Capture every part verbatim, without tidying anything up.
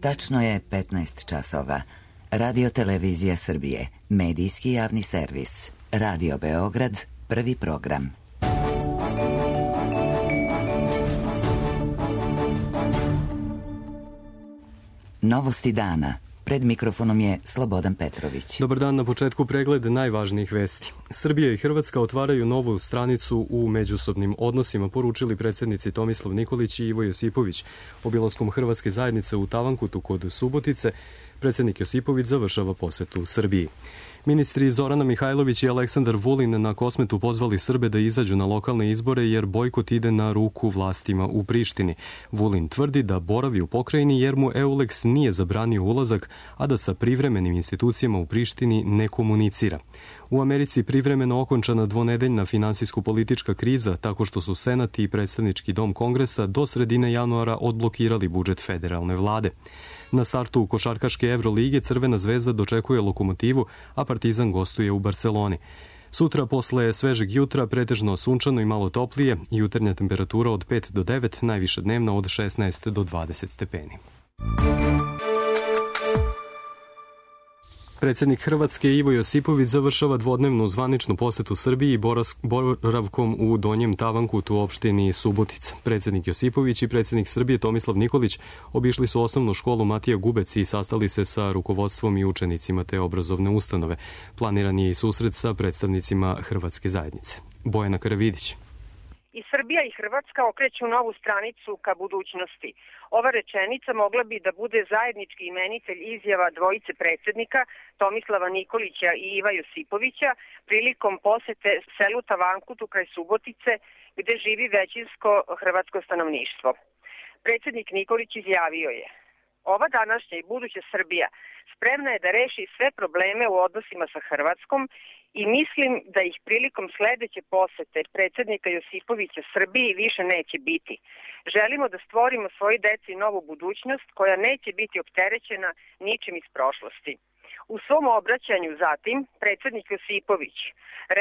Tačno je petnaest časova. Radio Televizija Srbije, medijski javni servis. Radio Beograd, prvi program. Novosti dana. Pred mikrofonom je Slobodan Petrović. Dobar dan, na početku pregled najvažnijih vesti. Srbija i Hrvatska otvaraju novu stranicu u međusobnim odnosima, poručili predsjednici Tomislav Nikolić i Ivo Josipović. Obilaskom Hrvatske zajednice u Tavankutu kod Subotice, predsjednik Josipović završava posetu Srbiji. Ministri Zorana Mihajlović i Aleksandar Vulin na Kosmetu pozvali Srbe da izađu na lokalne izbore jer bojkot ide na ruku vlastima u Prištini. Vulin tvrdi da boravi u pokrajini jer mu Euleks nije zabranio ulazak, a da sa privremenim institucijama u Prištini ne komunicira. U Americi privremeno okončana dvonedeljna finansijsko-politička kriza tako što su Senat i predstavnički dom Kongresa do sredine januara odblokirali budžet federalne vlade. Na startu košarkaške Evrolige Crvena zvezda dočekuje Lokomotivu, a Partizan gostuje u Barseloni. Sutra posle svežeg jutra pretežno sunčano i malo toplije, jutarnja temperatura od pet do devet, najviša dnevna od šesnaest do dvadeset stepeni. Predsjednik Hrvatske Ivo Josipović završava dvodnevnu zvaničnu posetu Srbiji boravkom u Donjem Tavankutu u opštini Subotica. Predsjednik Josipović i predsjednik Srbije Tomislav Nikolić obišli su osnovnu školu Matija Gubec i sastali se sa rukovodstvom i učenicima te obrazovne ustanove. Planiran je i susret sa predstavnicima Hrvatske zajednice. Bojana Karavidić. I Srbija i Hrvatska okreću novu stranicu ka budućnosti. Ova rečenica mogla bi da bude zajednički imenitelj izjava dvojice predsjednika Tomislava Nikolića i Iva Josipovića prilikom posete selu Tavankutu kraj Subotice gde živi većinsko hrvatsko stanovništvo. Predsjednik Nikolić izjavio je: ova današnja i buduća Srbija spremna je da reši sve probleme u odnosima sa Hrvatskom i mislim da ih prilikom sledeće posete predsjednika Josipovića Srbiji više neće biti. Želimo da stvorimo svoj deci novu budućnost koja neće biti opterećena ničim iz prošlosti. U svom obraćanju zatim predsjednik Josipović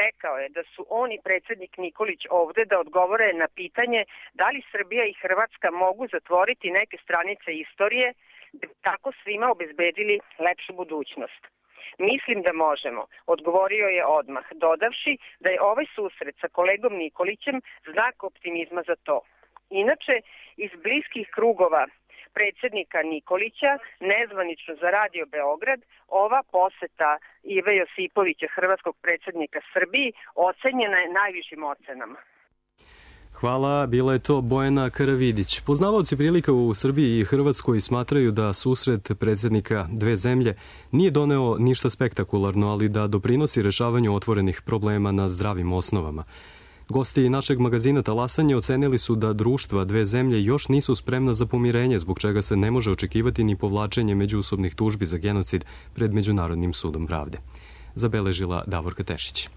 rekao je da su on i predsjednik Nikolić ovde da odgovore na pitanje da li Srbija i Hrvatska mogu zatvoriti neke stranice istorije da bi tako svima obezbedili lepšu budućnost. Mislim da možemo, odgovorio je odmah, dodavši da je ovaj susret sa kolegom Nikolićem znak optimizma za to. Inače, iz bliskih krugova predsjednika Nikolića, nezvanično za Radio Beograd, ova poseta Ive Josipovića, hrvatskog predsjednika Srbiji, ocenjena je najvišim ocenama. Hvala, bila je to Bojana Karavidić. Poznavaoci prilika u Srbiji i Hrvatskoj smatraju da susret predsjednika dve zemlje nije doneo ništa spektakularno, ali da doprinosi rešavanju otvorenih problema na zdravim osnovama. Gosti našeg magazina Talasanje ocenili su da društva dve zemlje još nisu spremna za pomirenje, zbog čega se ne može očekivati ni povlačenje međusobnih tužbi za genocid pred Međunarodnim sudom pravde. Zabeležila Davorka Tešić.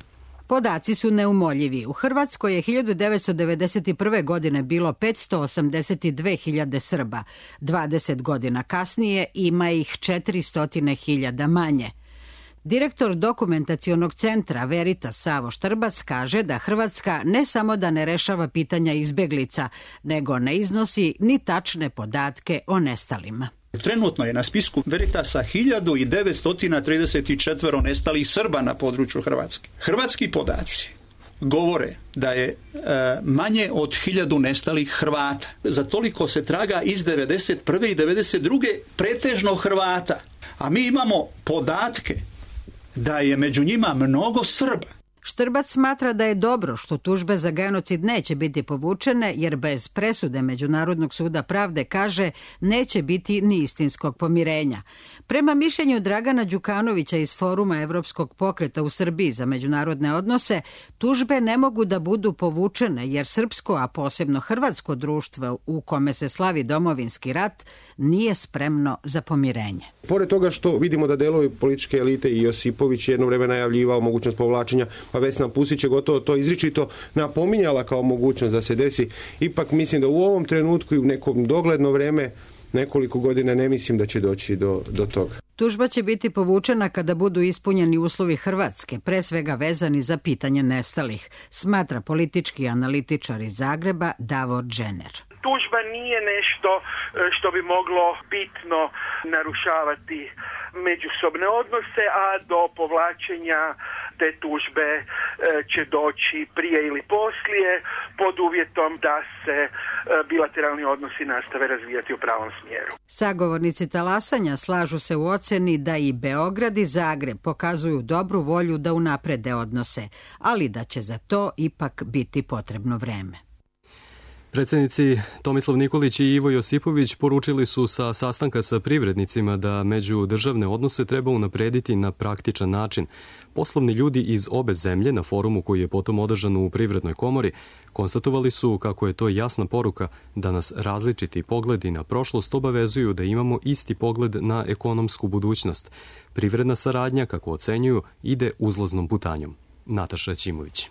Podaci su neumoljivi. U Hrvatskoj je hiljadu devetsto devedeset prve. godine bilo petsto osamdeset dve hiljade Srba. dvadeset godina kasnije ima ih četiristo hiljada manje. Direktor dokumentacionog centra Veritas Savo Štrbac kaže da Hrvatska ne samo da ne rešava pitanja izbeglica, nego ne iznosi ni tačne podatke o nestalima. Trenutno je na spisku Veritasa hiljadu devetsto trideset četiri nestalih Srba na području Hrvatske. Hrvatski podaci govore da je e, manje od hiljadu nestalih Hrvata. Za toliko se traga iz devedeset prve i devedeset druge pretežno Hrvata. A mi imamo podatke da je među njima mnogo Srba. Štrbac smatra da je dobro što tužbe za genocid neće biti povučene, jer bez presude Međunarodnog suda pravde, kaže, neće biti ni istinskog pomirenja. Prema mišljenju Dragana Đukanovića iz Foruma Evropskog pokreta u Srbiji za međunarodne odnose, tužbe ne mogu da budu povučene, jer srpsko, a posebno hrvatsko društvo u kome se slavi domovinski rat, nije spremno za pomirenje. Pored toga što vidimo da delovi političke elite i Josipović jedno vreme najavljivao mogućnost povlačenja, pa Vesna Pusić je gotovo to izričito napominjala kao mogućnost da se desi. Ipak mislim da u ovom trenutku i u nekom dogledno vreme, nekoliko godina, ne mislim da će doći do, do toga. Tužba će biti povučena kada budu ispunjeni uslovi Hrvatske, pre svega vezani za pitanje nestalih, smatra politički analitičar iz Zagreba Davor Džener. Tužba tužba nije nešto što bi moglo bitno narušavati međusobne odnose, a do povlačenja te tužbe će doći prije ili poslije pod uvjetom da se bilateralni odnosi nastave razvijati u pravom smjeru. Sagovornici talasanja slažu se u oceni da i Beograd i Zagreb pokazuju dobru volju da unaprede odnose, ali da će za to ipak biti potrebno vreme. Predsjednici Tomislav Nikolić i Ivo Josipović poručili su sa sastanka sa privrednicima da međudržavne odnose treba unaprediti na praktičan način. Poslovni ljudi iz obe zemlje na forumu koji je potom održan u Privrednoj komori konstatovali su kako je to jasna poruka da nas različiti pogledi na prošlost obavezuju da imamo isti pogled na ekonomsku budućnost. Privredna saradnja, kako ocenjuju, ide uzlaznom putanjom. Nataša Ćimović.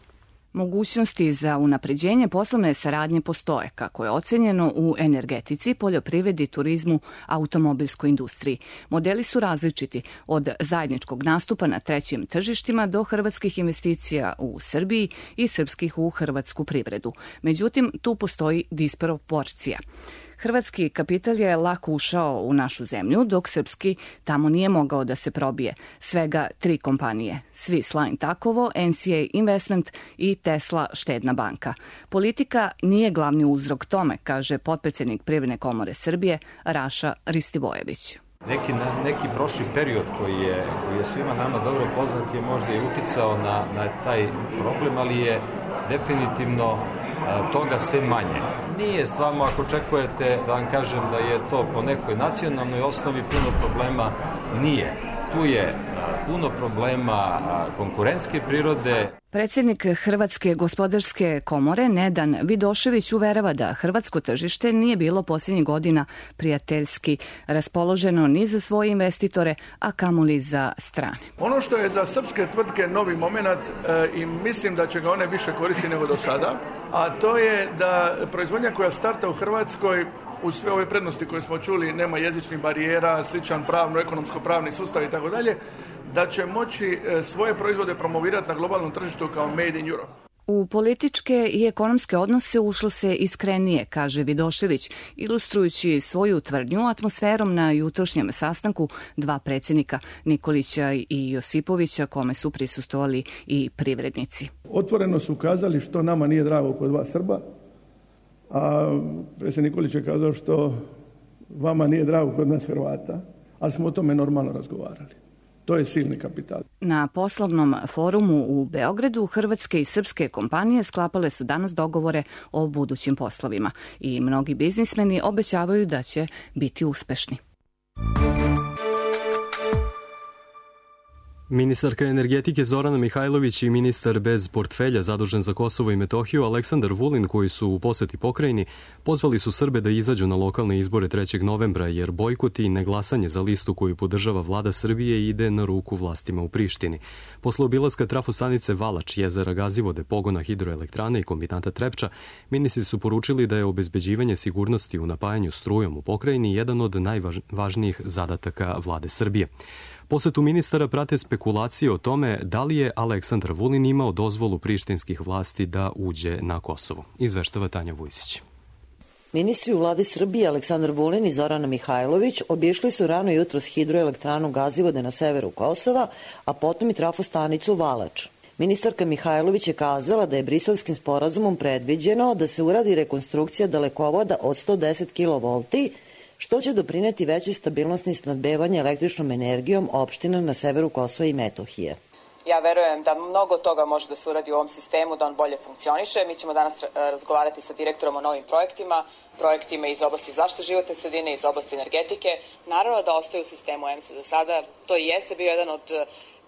Mogućnosti za unapređenje poslovne saradnje postoje, kako je ocenjeno u energetici, poljoprivredi, turizmu, automobilskoj industriji. Modeli su različiti, od zajedničkog nastupa na trećim tržištima do hrvatskih investicija u Srbiji i srpskih u hrvatsku privredu. Međutim, tu postoji disproporcija. Hrvatski kapital je lako ušao u našu zemlju, dok srpski tamo nije mogao da se probije. Svega tri kompanije, Swiss Line Takovo, N C A Investment i Tesla štedna banka. Politika nije glavni uzrok tome, kaže potpredsjednik Privredne komore Srbije, Raša Ristivojević. Neki, neki prošli period koji je, koji je svima nama dobro poznat je možda i uticao na, na taj problem, ali je definitivno toga sve manje. Nije stvarno, ako očekujete da vam kažem da je to po nekoj nacionalnoj osnovi puno problema, nije. Tu je puno problema konkurentske prirode. Predsjednik Hrvatske gospodarske komore Nedan Vidošević uverava da hrvatsko tržište nije bilo posljednjih godina prijateljski raspoloženo ni za svoje investitore, a kamoli za strane. Ono što je za srpske tvrtke novi moment e, i mislim da će ga one više koristiti nego do sada, a to je da proizvodnja koja starta u Hrvatskoj uz sve ove prednosti koje smo čuli, nema jezičnih barijera, sličan pravno, ekonomsko-pravni sustav i tako dalje, da će moći svoje proizvode promovirati na globalnom tržištu kao Made in Europe. U političke i ekonomske odnose ušlo se iskrenije, kaže Vidošević, ilustrujući svoju tvrdnju atmosferom na jutrošnjem sastanku dva predsjednika, Nikolića i Josipovića, kome su prisustvovali i privrednici. Otvoreno su kazali što nama nije drago kod vas Srba, a predsjednik Nikolić je kazao što vama nije drago kod nas Hrvata, ali smo o tome normalno razgovarali. To je silni kapital. Na poslovnom forumu u Beogradu hrvatske i srpske kompanije sklapale su danas dogovore o budućim poslovima i mnogi biznismeni obećavaju da će biti uspešni. Ministarka energetike Zorana Mihajlović i ministar bez portfelja zadužen za Kosovo i Metohiju Aleksandar Vulin, koji su u poseti pokrajini, pozvali su Srbe da izađu na lokalne izbore trećeg novembra, jer bojkot i neglasanje za listu koju podržava vlada Srbije ide na ruku vlastima u Prištini. Posle obilaska trafostanice Valač, jezera Gazivode, pogona hidroelektrane i kombinata Trepča, ministri su poručili da je obezbeđivanje sigurnosti u napajanju strujom u pokrajini jedan od najvažnijih zadataka vlade Srbije. Posetu ministara prate spekulacije o tome da li je Aleksandar Vulin imao dozvolu prištinskih vlasti da uđe na Kosovo. Izveštava Tanja Vujsić. Ministri u vladi Srbije Aleksandar Vulin i Zorana Mihajlović obišli su rano jutros hidroelektranu Gazivode na severu Kosova, a potom i trafostanicu Valač. Ministarka Mihajlović je kazala da je Briselskim sporazumom predviđeno da se uradi rekonstrukcija dalekovoda od sto deset kilovolti, što će doprineti većoj stabilnosti snabdevanja električnom energijom opština na severu Kosova i Metohije. Ja verujem da mnogo toga može da se uradi u ovom sistemu, da on bolje funkcioniše. Mi ćemo danas razgovarati sa direktorom o novim projektima, projektima iz oblasti zaštite životne sredine, iz oblasti energetike. Naravno da ostaje u sistemu E M S-a do sada. To i jeste bio jedan od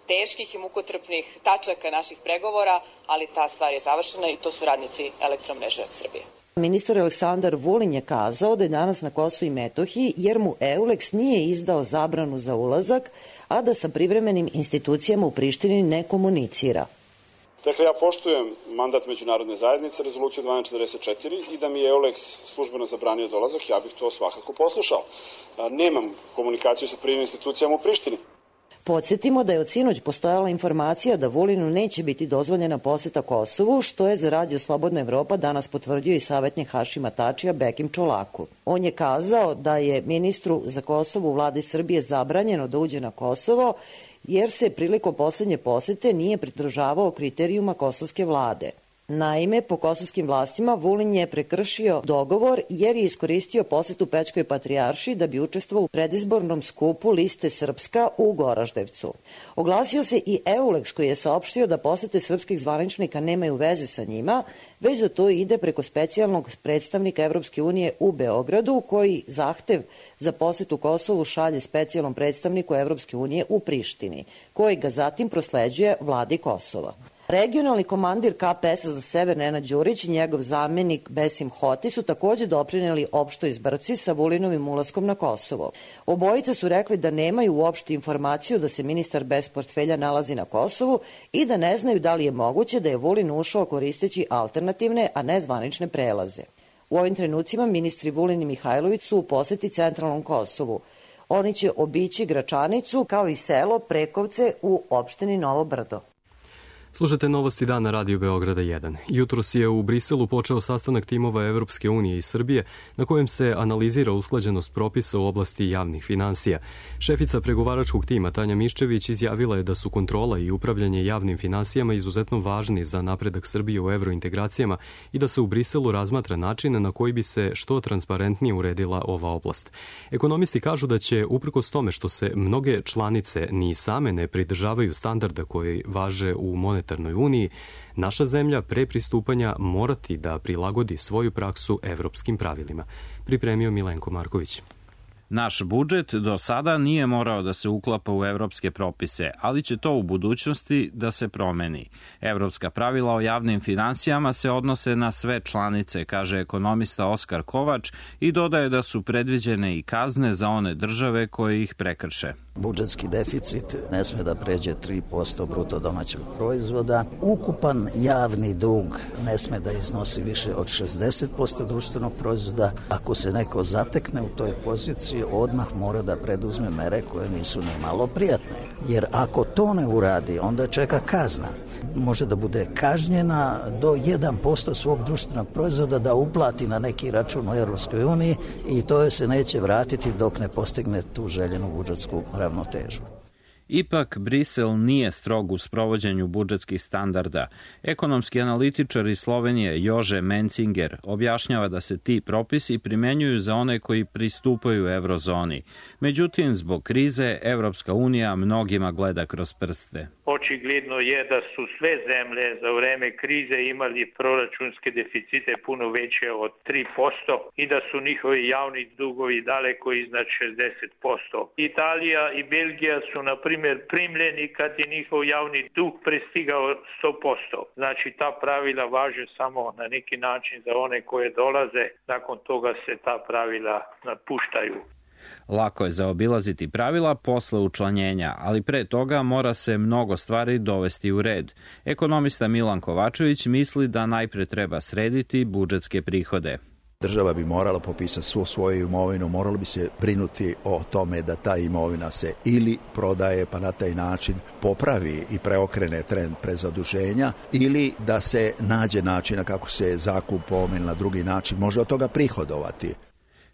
teških i mukotrpnih tačaka naših pregovora, ali ta stvar je završena i to su radnici Elektromreže Srbije. Ministar Aleksandar Vulin je kazao da je danas na Kosovu i Metohiji jer mu Euleks nije izdao zabranu za ulazak, a da sa privremenim institucijama u Prištini ne komunicira. Dakle, ja poštujem mandat međunarodne zajednice, rezoluciju dvanaest četrdeset četiri, i da mi je Euleks službeno zabranio dolazak, ja bih to svakako poslušao. Nemam komunikaciju sa privremenim institucijama u Prištini. Podsjetimo da je od sinoć postojala informacija da Vulinu neće biti dozvoljena poseta Kosovu, što je za Radio Slobodna Evropa danas potvrdio i savjetnik Hašima Tačija Bekim Čolaku. On je kazao da je ministru za Kosovo u vladi Srbije zabranjeno da uđe na Kosovo, jer se prilikom posljednje posete nije pridržavao kriterijuma kosovske vlade. Naime, po kosovskim vlastima Vulin je prekršio dogovor jer je iskoristio posetu Pećkoj patrijaršiji da bi učestvovao u predizbornom skupu liste Srpska u Goraždevcu. Oglasio se i Euleks koji je saopštio da posete srpskih zvaničnika nemaju veze sa njima, već da to ide preko specijalnog predstavnika Evropske unije u Beogradu, koji zahtev za posetu Kosovu šalje specijalnom predstavniku Evropske unije u Prištini, koji ga zatim prosleđuje vladi Kosova. Regionalni komandir K P S-a za sever Nenad Đurić i njegov zamenik Besim Hoti su također doprineli opštoj zbrci sa Vulinovim ulaskom na Kosovo. Obojice su rekli da nemaju uopšte informaciju da se ministar bez portfelja nalazi na Kosovu i da ne znaju da li je moguće da je Vulin ušao koristeći alternativne, a ne zvanične prelaze. U ovim trenucima ministri Vulin i Mihajlović su u poseti centralnom Kosovu. Oni će obići Gračanicu kao i selo Prekovce u opštini Novo Brdo. Slušate novosti dana Radio Beograda jedan. Jutros je u Briselu počeo sastanak timova Evropske unije i Srbije na kojem se analizira usklađenost propisa u oblasti javnih finansija. Šefica pregovaračkog tima Tanja Miščević izjavila je da su kontrola i upravljanje javnim finansijama izuzetno važni za napredak Srbije u evrointegracijama i da se u Briselu razmatra način na koji bi se što transparentnije uredila ova oblast. Ekonomisti kažu da će, uprkos tome što se mnoge članice ni same ne pridržavaju standarda koji važe u monetarnoj monetarnoj uniji, naša zemlja pre pristupanja morati da prilagodi svoju praksu evropskim pravilima. Pripremio Milenko Marković. Naš budžet do sada nije morao da se uklapa u evropske propise, ali će to u budućnosti da se promeni. Evropska pravila o javnim finansijama se odnose na sve članice, kaže ekonomista Oskar Kovač i dodaje da su predviđene i kazne za one države koje ih prekrše. Budžetski deficit ne sme da pređe tri posto bruto domaćeg proizvoda. Ukupan javni dug ne sme da iznosi više od šezdeset posto društvenog proizvoda. Ako se neko zatekne u toj poziciji, odmah mora da preduzme mere koje nisu ni malo prijatne. Jer ako to ne uradi, onda čeka kazna. Može da bude kažnjena do jedan posto svog društvenog proizvoda da uplati na neki račun u Evropskoj uniji i to se neće vratiti dok ne postigne tu željenu budžetsku ravnotežu. Ipak, Brisel nije strog u sprovođenju budžetskih standarda. Ekonomski analitičar iz Slovenije Jože Mencinger objašnjava da se ti propisi primenjuju za one koji pristupaju eurozoni. Međutim, zbog krize, Evropska unija mnogima gleda kroz prste. Očigledno je da su sve zemlje za vreme krize imali proračunske deficite puno veće od tri posto i da su njihovi javni dugovi daleko iznad šezdeset posto. Italija i Belgija su, na primjer, primljeni kad je njihov javni dug prestigao sto posto. Znači, ta pravila važe samo na neki način za one koje dolaze, nakon toga se ta pravila napuštaju. Lako je zaobilaziti pravila posle učlanjenja, ali pre toga mora se mnogo stvari dovesti u red. Ekonomista Milan Kovačević misli da najpre treba srediti budžetske prihode. Država bi morala popisati svu svoju imovinu, morala bi se brinuti o tome da ta imovina se ili prodaje pa na taj način popravi i preokrene trend prezaduženja ili da se nađe načina kako se zakupom ili na drugi način može od toga prihodovati.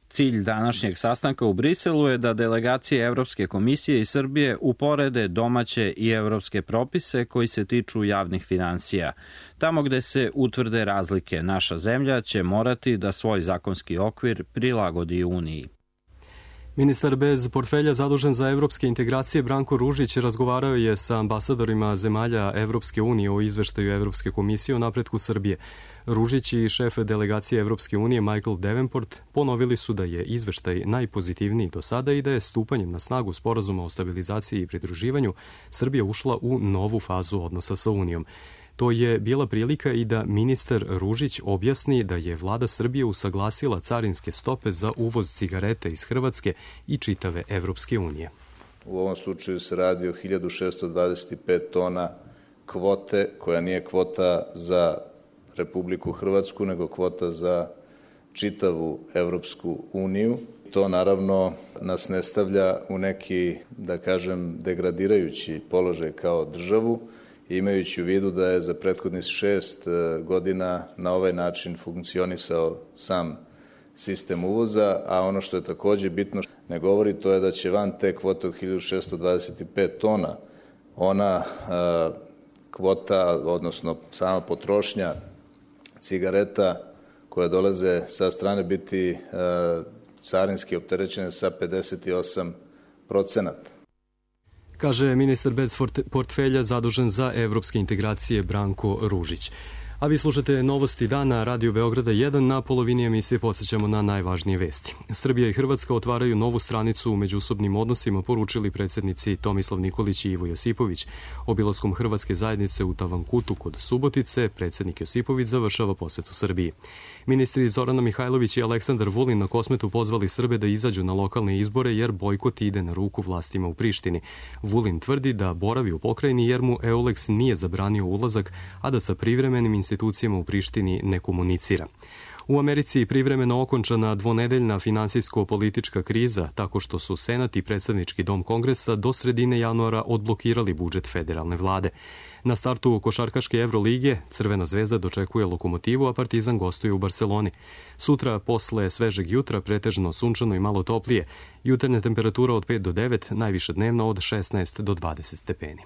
Cilj današnjeg sastanka u Briselu je da delegacije Evropske komisije i Srbije uporede domaće i evropske propise koji se tiču javnih finansija. Tamo gde se utvrde razlike, naša zemlja će morati da svoj zakonski okvir prilagodi Uniji. Ministar bez portfelja zadužen za evropske integracije Branko Ružić razgovarao je sa ambasadorima zemalja Evropske unije o izveštaju Evropske komisije o napretku Srbije. Ružić i šef delegacije Evropske unije Michael Davenport ponovili su da je izveštaj najpozitivniji do sada i da je stupanjem na snagu sporazuma o stabilizaciji i pridruživanju Srbija ušla u novu fazu odnosa sa Unijom. To je bila prilika i da ministar Ružić objasni da je vlada Srbije usaglasila carinske stope za uvoz cigareta iz Hrvatske i čitave Evropske unije. U ovom slučaju se radi o hiljadu šesto dvadeset pet tona kvote, koja nije kvota za Republiku Hrvatsku, nego kvota za čitavu Evropsku uniju. To naravno nas ne stavlja u neki, da kažem, degradirajući položaj kao državu, imajući u vidu da je za prethodnih šest godina na ovaj način funkcionisao sam sistem uvoza, a ono što je takođe bitno ne govori, to je da će van te kvote od hiljadu šessto dvadeset pet tona, ona a, kvota, odnosno sama potrošnja cigareta koje dolaze sa strane biti a, carinski opterećene sa pedeset osam procenata. Kaže ministar bez portfelja zadužen za evropske integracije Branko Ružić. A vi slušate novosti dana Radio Beograda jedan, na polovini emisije posjećamo na najvažnije vesti. Srbija i Hrvatska otvaraju novu stranicu u međusobnim odnosima, poručili predsjednici Tomislav Nikolić i Ivo Josipović. Obilaskom Hrvatske zajednice u Tavankutu kod Subotice, predsjednik Josipović završava posetu Srbiji. Ministri Zorana Mihajlović i Aleksandar Vulin na Kosmetu pozvali Srbe da izađu na lokalne izbore jer bojkot ide na ruku vlastima u Prištini. Vulin tvrdi da boravi u pokrajini jer mu Euleks nije zabranio ulazak, a da sa privremenim institucijama u Prištini ne komunicira. U Americi privremeno okončana dvonedeljna finansijsko-politička kriza tako što su Senat i predstavnički dom Kongresa do sredine januara odblokirali budžet federalne vlade. Na startu košarkaške Evrolige Crvena zvezda dočekuje Lokomotivu, a Partizan gostuje u Barceloni. Sutra, posle svežeg jutra, pretežno sunčano i malo toplije. Jutarnja temperatura od pet do devet, najviša dnevna od šesnaest do dvadeset stepeni.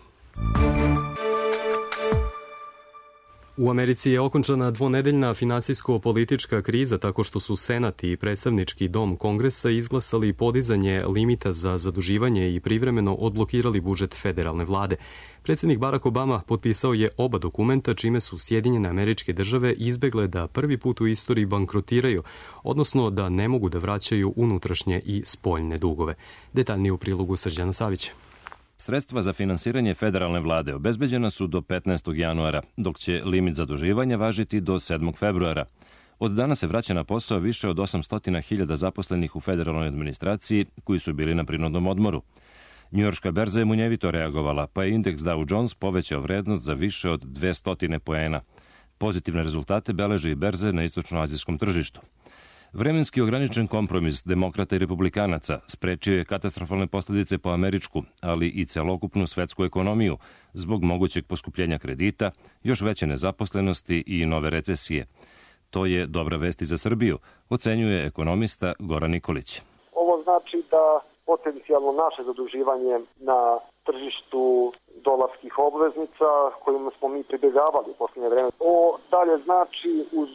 U Americi je okončana dvonedeljna finansijsko-politička kriza tako što su Senat i predstavnički dom Kongresa izglasali podizanje limita za zaduživanje i privremeno odblokirali budžet federalne vlade. Predsjednik Barack Obama potpisao je oba dokumenta čime su Sjedinjene Američke Države izbegle da prvi put u istoriji bankrotiraju, odnosno da ne mogu da vraćaju unutrašnje i spoljne dugove. Detaljnije u prilogu Srđana Savića. Sredstva za finansiranje federalne vlade obezbeđena su do petnaestog januara, dok će limit zaduživanja važiti do sedmog februara. Od dana se vraća na posao više od osamsto hiljada zaposlenih u federalnoj administraciji koji su bili na prinudnom odmoru. Njujorška berza je munjevito reagovala, pa je indeks Dow Jones povećao vrednost za više od dvesta poena. Pozitivne rezultate beleže i berze na istočnoazijskom tržištu. Vremenski ograničen kompromis demokrata i republikanaca sprečio je katastrofalne posljedice po američku, ali i celokupnu svetsku ekonomiju zbog mogućeg poskupljenja kredita, još veće nezaposlenosti i nove recesije. To je dobra vest i za Srbiju, ocenjuje ekonomista Goran Nikolić. Ovo znači da potencijalno naše zaduživanje na tržištu dolarskih obveznica kojima smo mi pribjegavali u posljednje vreme. Ovo dalje znači uz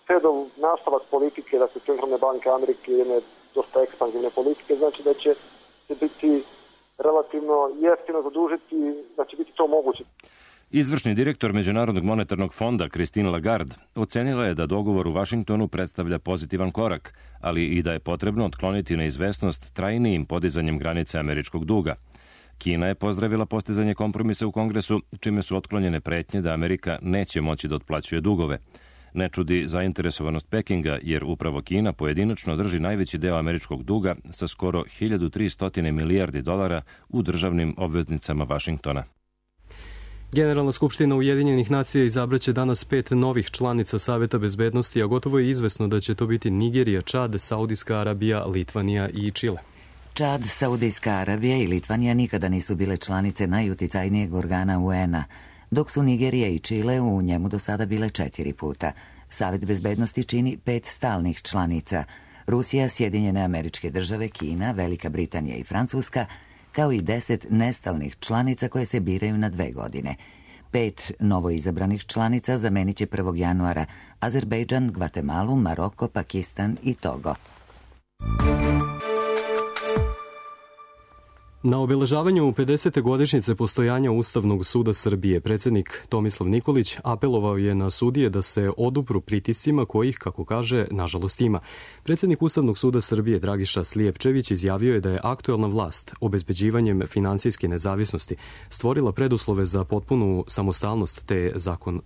Fedov nastavak politike, da se centralne banke Amerike jedne dosta ekspanzivne politike, znači da će se biti relativno jeftino zadužiti, da će biti to moguće. Izvršni direktor Međunarodnog monetarnog fonda Christine Lagarde ocenila je da dogovor u Vašingtonu predstavlja pozitivan korak, ali i da je potrebno otkloniti neizvesnost trajnijim podizanjem granice američkog duga. Kina je pozdravila postizanje kompromisa u Kongresu, čime su otklonjene pretnje da Amerika neće moći da otplaćuje dugove. Ne čudi zainteresovanost Pekinga, jer upravo Kina pojedinačno drži najveći deo američkog duga sa skoro hiljadu tristo milijardi dolara u državnim obveznicama Vašingtona. Generalna skupština Ujedinjenih nacija izabraće danas pet novih članica Saveta bezbednosti, a gotovo je izvesno da će to biti Nigerija, Čad, Saudijska Arabija, Litvanija i Čile. Čad, Saudijska Arabija i Litvanija nikada nisu bile članice najuticajnijeg organa U N-a, dok su Nigerija i Čile u njemu do sada bile četiri puta. Savet bezbednosti čini pet stalnih članica: Rusija, Sjedinjene Američke Države, Kina, Velika Britanija i Francuska, kao i deset nestalnih članica koje se biraju na dve godine. Pet novoizabranih članica zamenit će prvog januara Azerbejdžan, Gvatemalu, Maroko, Pakistan i Togo. Na obeležavanju pedesete godišnjice postojanja Ustavnog suda Srbije, predsjednik Tomislav Nikolić apelovao je na sudije da se odupru pritiscima kojih, kako kaže, nažalost ima. Predsjednik Ustavnog suda Srbije Dragiša Slijepčević izjavio je da je aktuelna vlast obezbeđivanjem finansijske nezavisnosti stvorila preduslove za potpunu samostalnost te, zakon,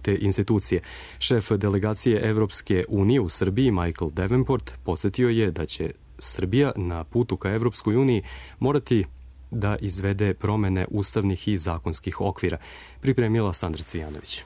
te institucije. Šef delegacije Evropske unije u Srbiji Michael Davenport podsjetio je da će Srbija na putu ka Evropskoj uniji morati da izvede promene ustavnih i zakonskih okvira. Pripremila Sandra Cvijanović.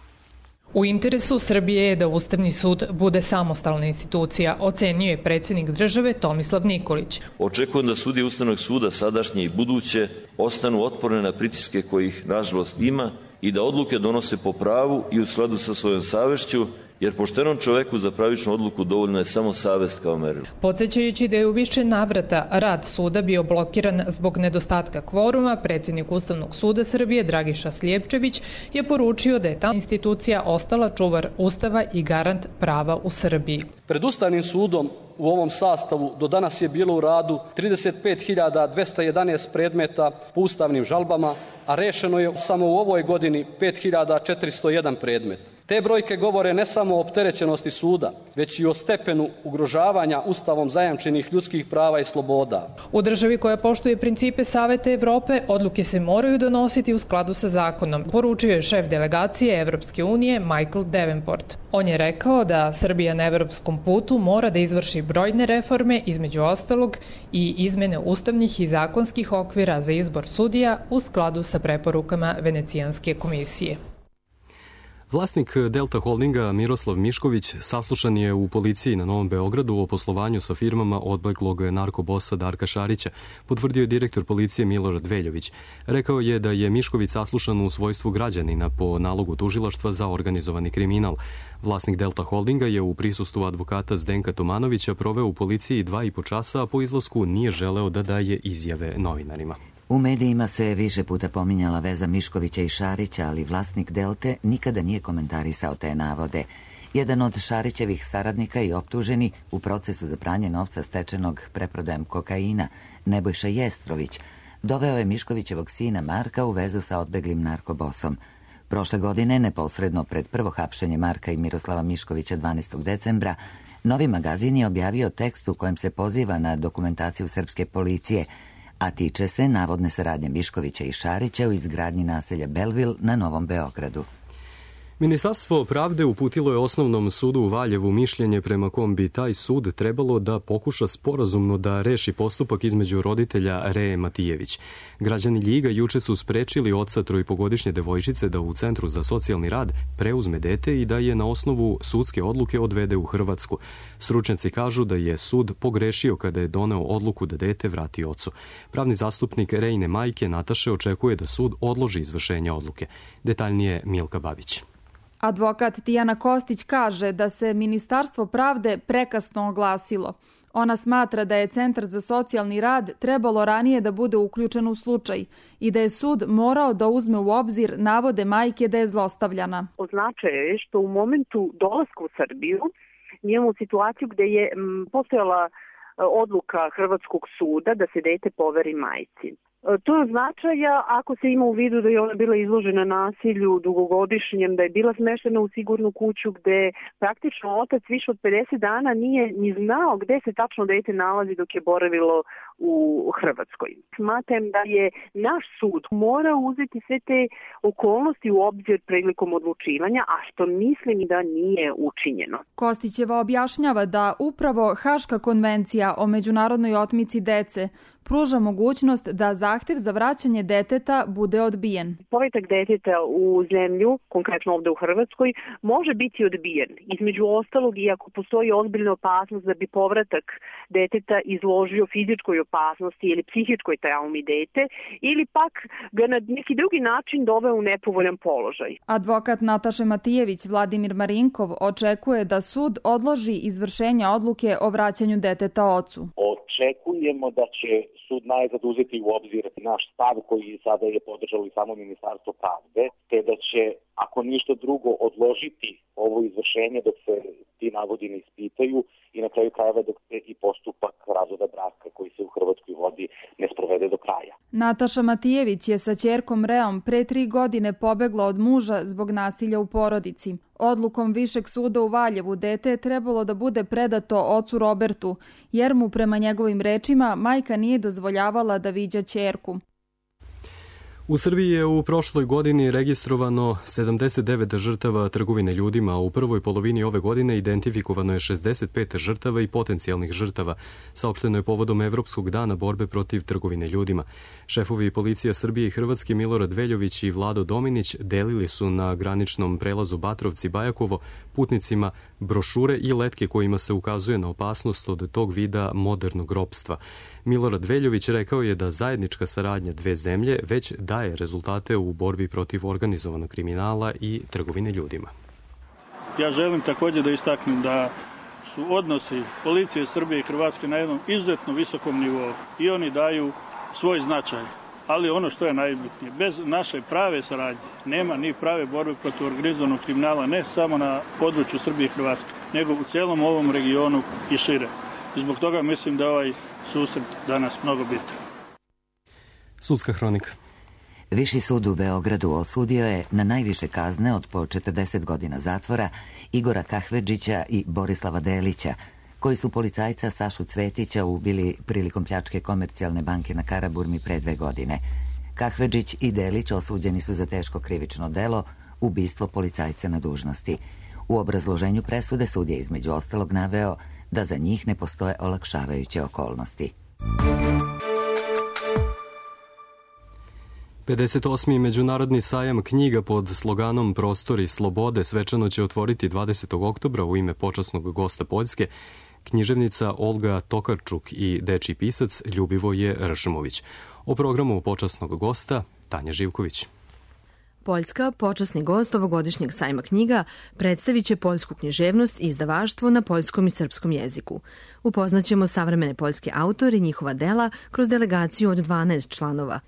U interesu Srbije je da Ustavni sud bude samostalna institucija, ocenio je predsjednik države Tomislav Nikolić. Očekujem da sudije Ustavnog suda, sadašnje i buduće, ostanu otporne na pritiske kojih, nažalost, ima i da odluke donose po pravu i u skladu sa svojom savešću, jer poštenom čoveku za pravičnu odluku dovoljno je samo savest kao merilo. Podsjećajući da je u više navrata rad suda bio blokiran zbog nedostatka kvoruma, predsjednik Ustavnog suda Srbije Dragiša Slijepčević je poručio da je ta institucija ostala čuvar Ustava i garant prava u Srbiji. Pred Ustavnim sudom u ovom sastavu do danas je bilo u radu trideset pet hiljada dvesta jedanaest predmeta po ustavnim žalbama, a rešeno je samo u ovoj godini pet hiljada četiristo jedan predmet. Te brojke govore ne samo o opterećenosti suda, već i o stepenu ugrožavanja Ustavom zajamčenih ljudskih prava i sloboda. U državi koja poštuje principe Saveta Evrope, odluke se moraju donositi u skladu sa zakonom, poručio je šef delegacije Evropske unije Michael Davenport. On je rekao da Srbija na evropskom putu mora da izvrši brojne reforme, između ostalog i izmene ustavnih i zakonskih okvira za izbor sudija u skladu sa preporukama Venecijanske komisije. Vlasnik Delta Holdinga Miroslav Mišković saslušan je u policiji na Novom Beogradu o poslovanju sa firmama odbeglog narkobosa Darka Šarića, potvrdio je direktor policije Milorad Veljović. Rekao je da je Mišković saslušan u svojstvu građanina po nalogu tužilaštva za organizovani kriminal. Vlasnik Delta Holdinga je u prisustvu advokata Zdenka Tomanovića proveo u policiji dva i po časa, a po izlasku nije želeo da daje izjave novinarima. U medijima se više puta pominjala veza Miškovića i Šarića, ali vlasnik Delte nikada nije komentarisao te navode. Jedan od Šarićevih saradnika i optuženi u procesu za pranje novca stečenog preprodajem kokaina, Nebojša Jestrović, doveo je Miškovićevog sina Marka u vezu sa odbeglim narkobosom. Prošle godine, neposredno pred prvo hapšenje Marka i Miroslava Miškovića dvanaestog decembra, Novi magazin je objavio tekst u kojem se poziva na dokumentaciju srpske policije, a tiče se navodne saradnje Miškovića i Šarića u izgradnji naselja Belvil na Novom Beogradu. Ministarstvo pravde uputilo je Osnovnom sudu u Valjevu mišljenje prema kom bi taj sud trebalo da pokuša sporazumno da reši postupak između roditelja Reje Matijević. Građani Ljiga juče su sprečili oca trojpogodišnje devojčice da u Centru za socijalni rad preuzme dete i da je na osnovu sudske odluke odvede u Hrvatsku. Stručnjaci kažu da je sud pogrešio kada je doneo odluku da dete vrati ocu. Pravni zastupnik Rejine majke Nataše očekuje da sud odloži izvršenje odluke. Detaljnije Milka Babić. Advokat Tijana Kostić kaže da se Ministarstvo pravde prekasno oglasilo. Ona smatra da je Centar za socijalni rad trebalo ranije da bude uključen u slučaj i da je sud morao da uzme u obzir navode majke da je zlostavljana. Od značaja je što u momentu dolaska u Srbiju imamo situaciju gde je postojala odluka Hrvatskog suda da se dete poveri majci. To je značaja ako se ima u vidu da je ona bila izložena nasilju dugogodišnjem, da je bila smeštena u sigurnu kuću gde praktično otac više od pedeset dana nije ni znao gde se tačno dete nalazi dok je boravilo u Hrvatskoj. Smatram da je naš sud morao uzeti sve te okolnosti u obzir prilikom odlučivanja, a što mislim da nije učinjeno. Kostićeva objašnjava da upravo Haška konvencija o međunarodnoj otmici dece pruža mogućnost da zahtev za vraćanje deteta bude odbijen. Povratak deteta u zemlju, konkretno ovde u Hrvatskoj, može biti odbijen. Između ostalog, i ako postoji ozbiljna opasnost da bi povratak deteta izložio fizičkoj opasnosti ili psihičkoj traumi dete, ili pak ga na neki drugi način doveo u nepovoljan položaj. Advokat Nataše Matijević Vladimir Marinkov očekuje da sud odloži izvršenje odluke o vraćanju deteta ocu. Očekujemo da će sud najzad uzeti u obzir naš stav koji sada je podržalo i samo Ministarstvo pravde, te da će, ako ništa drugo, odložiti ovo izvršenje dok se ti navodi ne ispitaju i na kraju krajeva dok se i postupak razvoda braka koji se u Hrvatskoj vodi ne sprovede do kraja. Nataša Matijević je sa ćerkom Reom pre tri godine pobegla od muža zbog nasilja u porodici. Odlukom Višeg suda u Valjevu dete je trebalo da bude predato ocu Robertu, jer mu prema njegovim rečima majka nije dozvoljavala da viđa ćerku. U Srbiji je u prošloj godini registrovano sedamdeset devet žrtava trgovine ljudima, a u prvoj polovini ove godine identifikovano je šezdeset pet žrtava i potencijalnih žrtava. Saopšteno je povodom Evropskog dana borbe protiv trgovine ljudima. Šefovi policija Srbije i Hrvatske Milorad Veljović i Vlado Dominić delili su na graničnom prelazu Batrovci-Bajakovo putnicima brošure i letke kojima se ukazuje na opasnost od tog vida modernog ropstva. Milorad Veljović rekao je da zajednička saradnja dve zemlje već daje rezultate u borbi protiv organizovanog kriminala i trgovine ljudima. Ja želim također da istaknem da su odnosi policije Srbije i Hrvatske na jednom izuzetno visokom nivou i oni daju svoj značaj. Ali ono što je najbitnije, bez naše prave saradnje nema ni prave borbe protiv organizovanog kriminala, ne samo na području Srbije i Hrvatske, nego u celom ovom regionu i šire. I zbog toga mislim da ovaj susret danas mnogo bitan. Sudska hronika. Viši sud u Beogradu osudio je na najviše kazne od po četrdeset godina zatvora Igora Kahvedžića i Borislava Delića, koji su policajca Sašu Cvetića ubili prilikom pljačke Komercijalne banke na Karaburmi pre dve godine. Kahvedžić i Delić osuđeni su za teško krivično delo, ubistvo policajca na dužnosti. U obrazloženju presude sud je između ostalog naveo da za njih ne postoje olakšavajuće okolnosti. pedeset osmi Međunarodni sajam knjiga pod sloganom Prostori slobode svečano će otvoriti dvadesetog oktobra u ime počasnog gosta Poljske književnica Olga Tokarčuk i dečiji pisac Ljubivoje Ršmović. O programu počasnog gosta Tanja Živković. Poljska, počasni gost ovogodišnjeg sajma knjiga, predstavit će poljsku književnost i izdavaštvo na poljskom i srpskom jeziku. Upoznaćemo savremene poljske autore i njihova dela kroz delegaciju od dvanaest članova.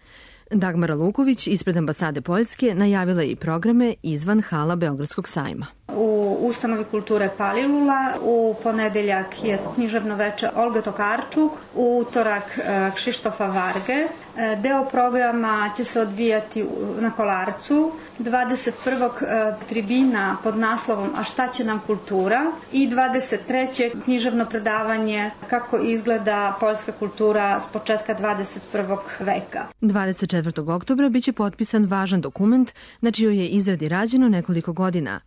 Dagmara Luković ispred ambasade Poljske najavila je i programe izvan hala Beogradskog sajma. U ustanovi kulture Palilula u ponedeljak je književno veče Olga Tokarčuk, u utorak Kšištofa Varge. Deo programa će se odvijati na Kolarcu, dvadeset prvog tribina pod naslovom A šta će nam kultura i dvadeset trećeg književno predavanje kako izgleda poljska kultura s početka dvadeset prvog veka. dvadeset četvrtog oktobra biće potpisan važan dokument na čijoj je izradi rađeno nekoliko godina.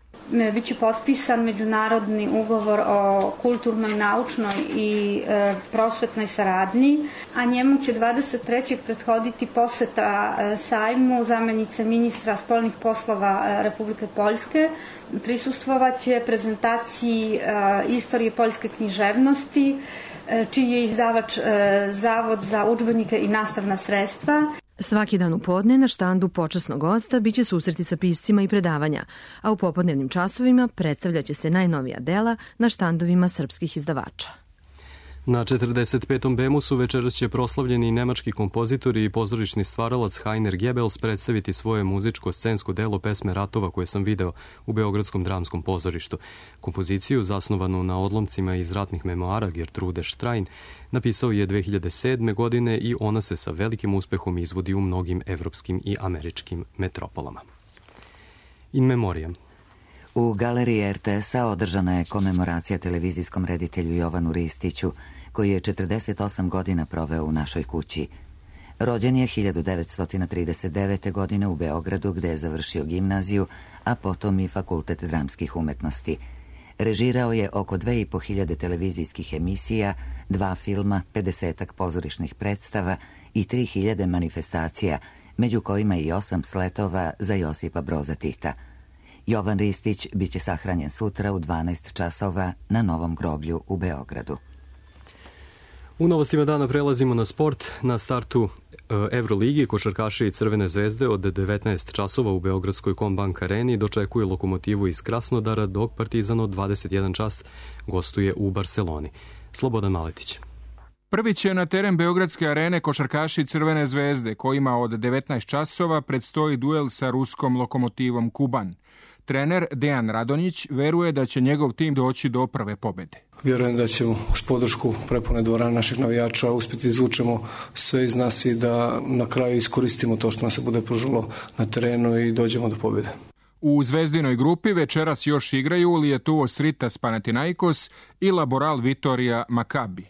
Biće potpisan međunarodni ugovor o kulturnoj, naučnoj i e, prosvetnoj saradnji, a njemu će dvadeset trećeg prethoditi poseta e, sajmu zamenice ministra spoljnih poslova e, Republike Poljske. Prisustvovaće prezentaciji e, istorije poljske književnosti, e, čiji je izdavač e, Zavod za udžbenike i nastavna sredstva. Svaki dan u podne na štandu počasnog gosta biće susreti sa piscima i predavanja, a u popodnevnim časovima predstavljaće se najnovija dela na štandovima srpskih izdavača. Na četrdeset petom Bemusu večeras će proslavljeni nemački kompozitor i pozorišni stvaralac Heiner Goebbels predstaviti svoje muzičko-scensko delo Pesme ratova koje sam video u Beogradskom dramskom pozorištu. Kompoziciju, zasnovanu na odlomcima iz ratnih memoara Gertrude Stein, napisao je dve hiljade sedme. godine i ona se sa velikim uspehom izvodi u mnogim evropskim i američkim metropolama. In memoriam. U galeriji er te es-a održana je komemoracija televizijskom reditelju Jovanu Ristiću, koji je četrdeset osam godina proveo u našoj kući. Rođen je hiljadu devetsto trideset devete. godine u Beogradu, gde je završio gimnaziju, a potom i Fakultet dramskih umetnosti. Režirao je oko dve i po hiljade televizijskih emisija, dva filma, pedesetak pozorišnih predstava i tri hiljade manifestacija, među kojima i osam sletova za Josipa Broza Tita. Jovan Ristić biće sahranjen sutra u dvanaest časova na Novom groblju u Beogradu. U novostima dana prelazimo na sport. Na startu Evroligi košarkaši i Crvene zvezde od devetnaest časova u Beogradskoj Kombank areni dočekuje Lokomotivu iz Krasnodara, dok Partizan od dvadeset jedan čas gostuje u Barseloni. Slobodan Maletić. Prvi će na teren Beogradske arene košarkaši Crvene zvezde, kojima od devetnaest časova predstoji duel sa ruskom Lokomotivom Kuban. Trener Dejan Radonjić veruje da će njegov tim doći do prve pobede. Vjerujem da ćemo uz podršku prepune dvorane naših navijača uspjeti izvučemo sve iz nas i da na kraju iskoristimo to što nam se bude pružilo na terenu i dođemo do pobjede. U zvezdinoj grupi večeras još igraju Lietuvos Ritas Panathinaikos i Laboral Vitorija Makabi.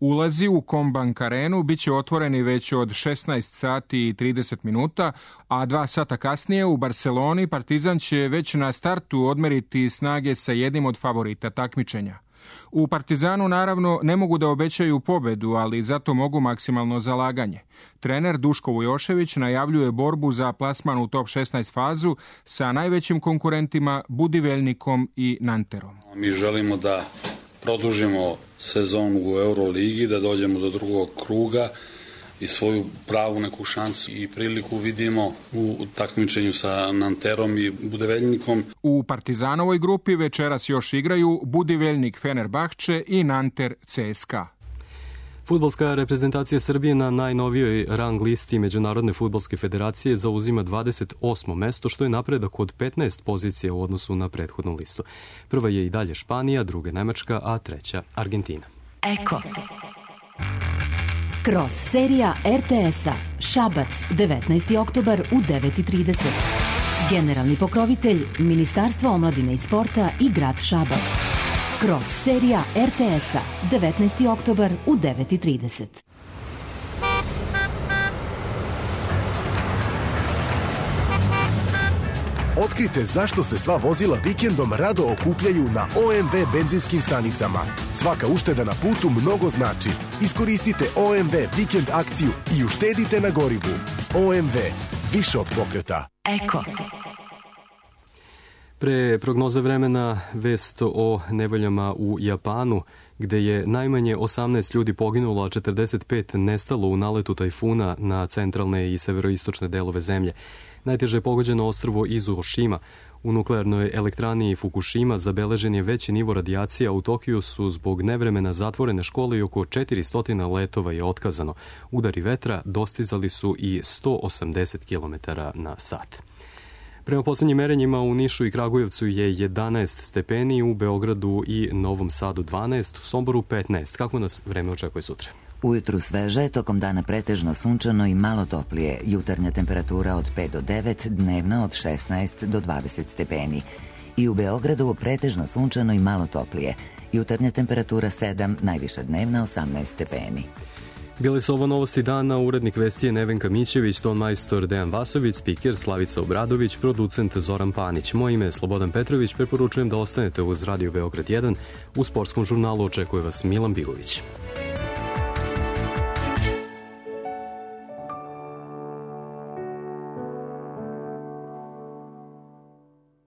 Ulazi u Kombank arenu bit će otvoreni već od šesnaest sati i trideset minuta, a dva sata kasnije u Barceloni Partizan će već na startu odmeriti snage sa jednim od favorita takmičenja. U Partizanu naravno ne mogu da obećaju pobedu, ali zato mogu maksimalno zalaganje. Trener Duško Vujošević najavljuje borbu za plasman u top šesnaest fazu sa najvećim konkurentima Budivelnikom i Nanterom. Mi želimo da produžimo sezonu u Euroligi, da dođemo do drugog kruga i svoju pravu neku šansu i priliku vidimo u takmičenju sa Nanterom i Budivelnikom. U Partizanovoj grupi večeras još igraju Budivelnik Fenerbahče i Nanter C S K A. Fudbalska reprezentacija Srbije na najnovijoj rang listi Međunarodne fudbalske federacije zauzima dvadeset osmo mesto, što je napredak od petnaest pozicija u odnosu na prethodnu listu. Prva je i dalje Španija, druga Nemačka, a treća Argentina. Eko. Kroz serija er te es-a Šabac, devetnaesti oktobar u devet i trideset. Generalni pokrovitelj Ministarstvo omladine i sporta i grad Šabac. Kroz serija er te es-a devetnaesti oktobar u devet i trideset. Otkrite zašto se sva vozila vikendom rado okupljaju na o em ve benzinskim stanicama. Svaka ušteda na putu mnogo znači. Iskoristite o em ve vikend akciju i uštedite na gorivu. o em ve, više od pokreta. Eko. Pre prognoze vremena vest o nevoljama u Japanu, gde je najmanje osamnaest ljudi poginulo, a četrdeset pet nestalo u naletu tajfuna na centralne i severoistočne delove zemlje. Najteže je pogođeno ostrvo Izuoshima. U nuklearnoj elektrani Fukushima zabeležen je veći nivo radijacije, a u Tokiju su zbog nevremena zatvorene škole i oko četiristo letova je otkazano. Udari vetra dostizali su i sto osamdeset kilometara na sat. Prema poslednjim merenjima u Nišu i Kragujevcu je jedanaest stepeni, u Beogradu i Novom Sadu dvanaest, u Somboru petnaest. Kako nas vreme očekuje sutra? Ujutru sveže, tokom dana pretežno sunčano i malo toplije. Jutarnja temperatura od pet do devet, dnevna od šesnaest do dvadeset stepeni. I u Beogradu pretežno sunčano i malo toplije. Jutarnja temperatura sedam, najviša dnevna osamnaest stepeni. Bile su ovo novosti dana, urednik vesti je Nevenka Mićević, ton majstor Dejan Vasović, spiker Slavica Obradović, producent Zoran Panić. Moje ime je Slobodan Petrović, preporučujem da ostanete uz Radio Beograd jedan. U sportskom žurnalu očekuje vas Milan Bigović.